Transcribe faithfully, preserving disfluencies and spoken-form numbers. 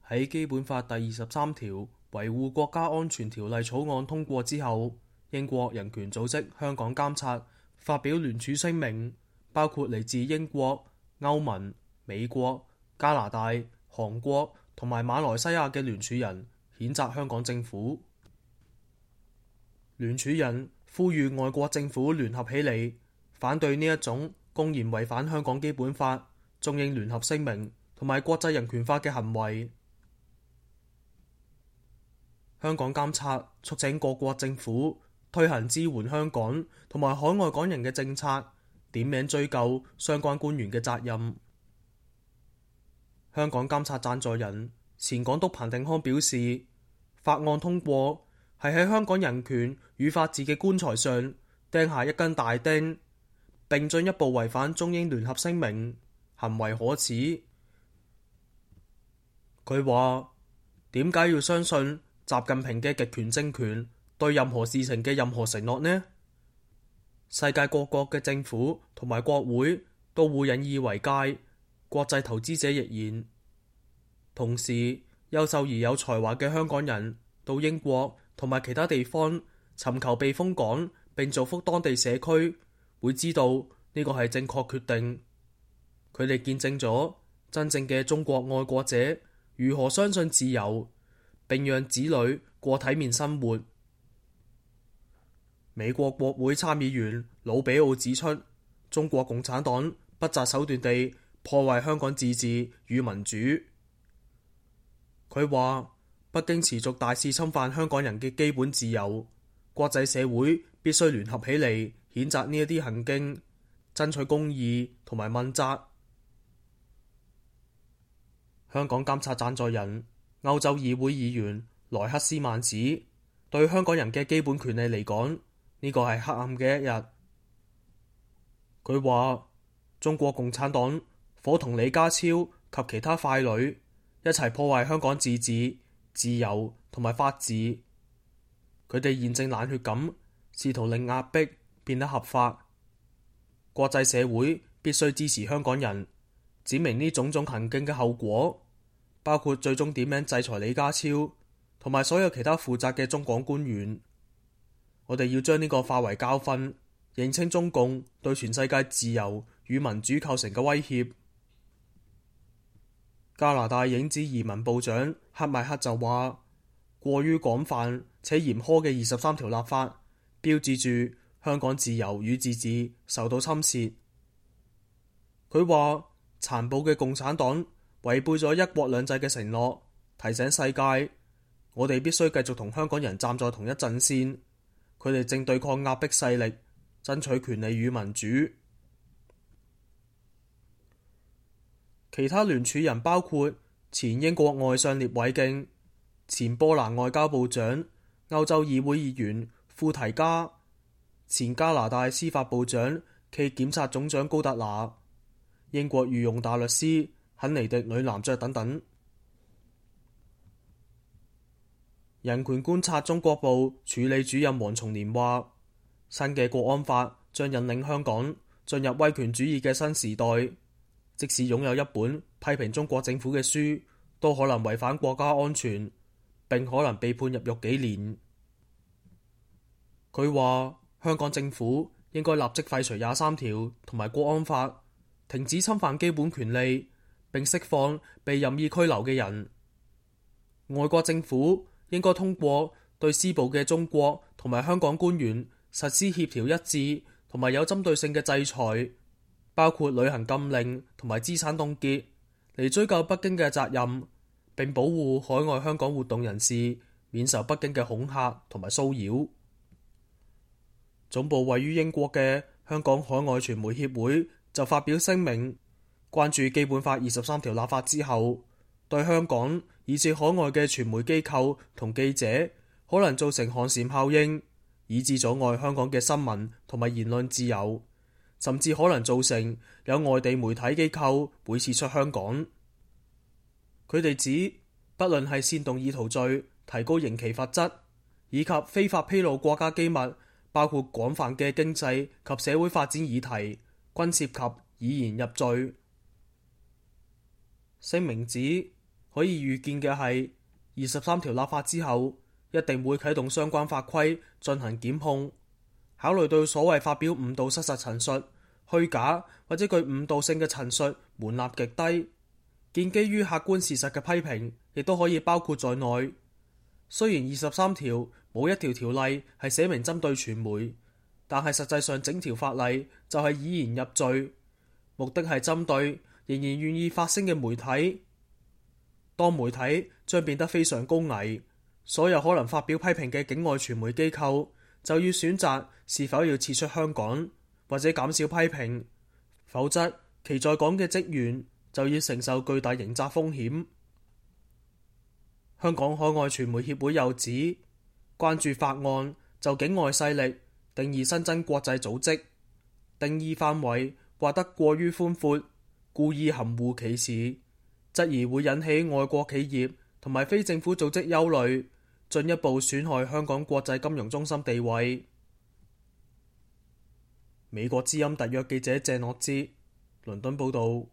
喺基本法第二十三條維護國家安全條例草案通過之後，英國人權組織香港監察發表聯署聲明，包括嚟自英國、歐盟、美國、加拿大、韓國同埋馬來西亞嘅聯署人譴責香港政府。聯署人呼籲外國政府聯合起嚟，反對呢一種公然違反香港基本法、中英聯合聲明同埋國際人權法嘅行為。香港監察促請各國政府推行支援香港同埋海外港人嘅政策，點名追究相關官員嘅責任。香港監察贊助人前港督彭定康表示，法案通過係喺香港人權與法治嘅棺材上釘下一根大釘，並進一步違反中英聯合聲明，行為可恥。佢話：點解要相信習近平嘅極權政權對任何事情嘅任何承諾呢？世界各國嘅政府同埋國會都會引以為戒，國際投資者亦然。同時，優秀而有才華嘅香港人到英國同埋其他地方尋求避風港並造福當地社區，會知道呢個係正確決定。佢哋見證咗真正嘅中國愛國者如何相信自由，並讓子女過體面生活。美國國會參議員魯比奧指出，中國共產黨不擇手段地破壞香港自治與民主。佢話：北京持續大肆侵犯香港人嘅基本自由，國際社會必須聯合起嚟譴責呢一啲行徑，爭取公義同埋問責。香港監察贊助人歐洲議會議員萊克斯曼指，對香港人嘅基本權利嚟講，呢個係黑暗嘅一日。佢話：中國共產黨夥同李家超及其他傀儡一齊破壞香港自治、自由同埋法治。佢哋現正冷血咁試圖令壓迫變得合法。國際社會必須支持香港人，指明呢種種行徑嘅後果，包括最終點名制裁李家超同埋所有其他負責嘅中港官員。我哋要將呢個化為教訓，認清中共對全世界自由與民主構成嘅威脅。加拿大影子移民部長克邁克就話：過於廣泛且嚴苛嘅二十三條立法，標誌住香港自由與自治受到侵蝕。佢話：殘暴嘅共產黨違背咗一國兩制嘅承諾，提醒世界，我哋必須繼續同香港人站在同一陣線。佢哋正對抗壓迫勢力，爭取權利與民主。其他聯署人包括前英國外相聶偉敬、前波蘭外交部長、歐洲議會議員庫提加、前加拿大司法部長暨檢察總長高特拿、英國御用大律師肯尼迪女男爵等等。人權觀察中國部處理主任黃松年話：新嘅國安法將引領香港進入威權主義嘅新時代。即使擁有一本批評中國政府嘅書，都可能違反國家安全，並可能被判入獄幾年。佢話香港政府應該立即廢除廿三條同埋國安法，停止侵犯基本權利，並釋放被任意拘留嘅人。外國政府應該通過對施暴嘅中國同埋香港官員實施協調一致同埋有針對性嘅制裁，包括旅行禁令同埋資產凍結，嚟追究北京嘅責任，並保護海外香港活動人士免受北京嘅恐嚇同埋騷擾。總部位於英國嘅香港海外傳媒協會就發表聲明，關注基本法二十三條立法之後，對香港以至海外嘅傳媒機構同記者可能造成寒蟬效應，以致阻礙香港嘅新聞同埋言論自由，甚至可能造成有外地媒體機構會撤出香港。佢哋指，不論係煽動意圖罪提高刑期罰則，以及非法披露國家機密，包括廣泛嘅經濟及社會發展議題，均涉及以言入罪。聲明指，可以預見嘅係，二十三條立法之後，一定會啟動相關法規進行檢控。考慮到所謂發表誤導失實陳述、虛假或者具誤導性嘅陳述門檻極低，建基於客觀事實嘅批評亦都可以包括在內。雖然二十三條冇一條條例係寫明針對傳媒，但係實際上整條法例就係以言入罪，目的係針對仍然願意發聲嘅媒體。當媒體將變得非常高危，所有可能發表批評嘅境外傳媒機構就要選擇是否要撤出香港，或者減少批評，否則其在港嘅職員就要承受巨大刑責風險。香港海外傳媒協會又指，關注法案就境外勢力定義新增國際組織，定義範圍劃得過於寬闊，故意含糊其辭，質疑會引起外國企業同埋非政府組織憂慮，進一步損害香港國際金融中心地位。美國之音特約記者鄭樂之倫敦報道。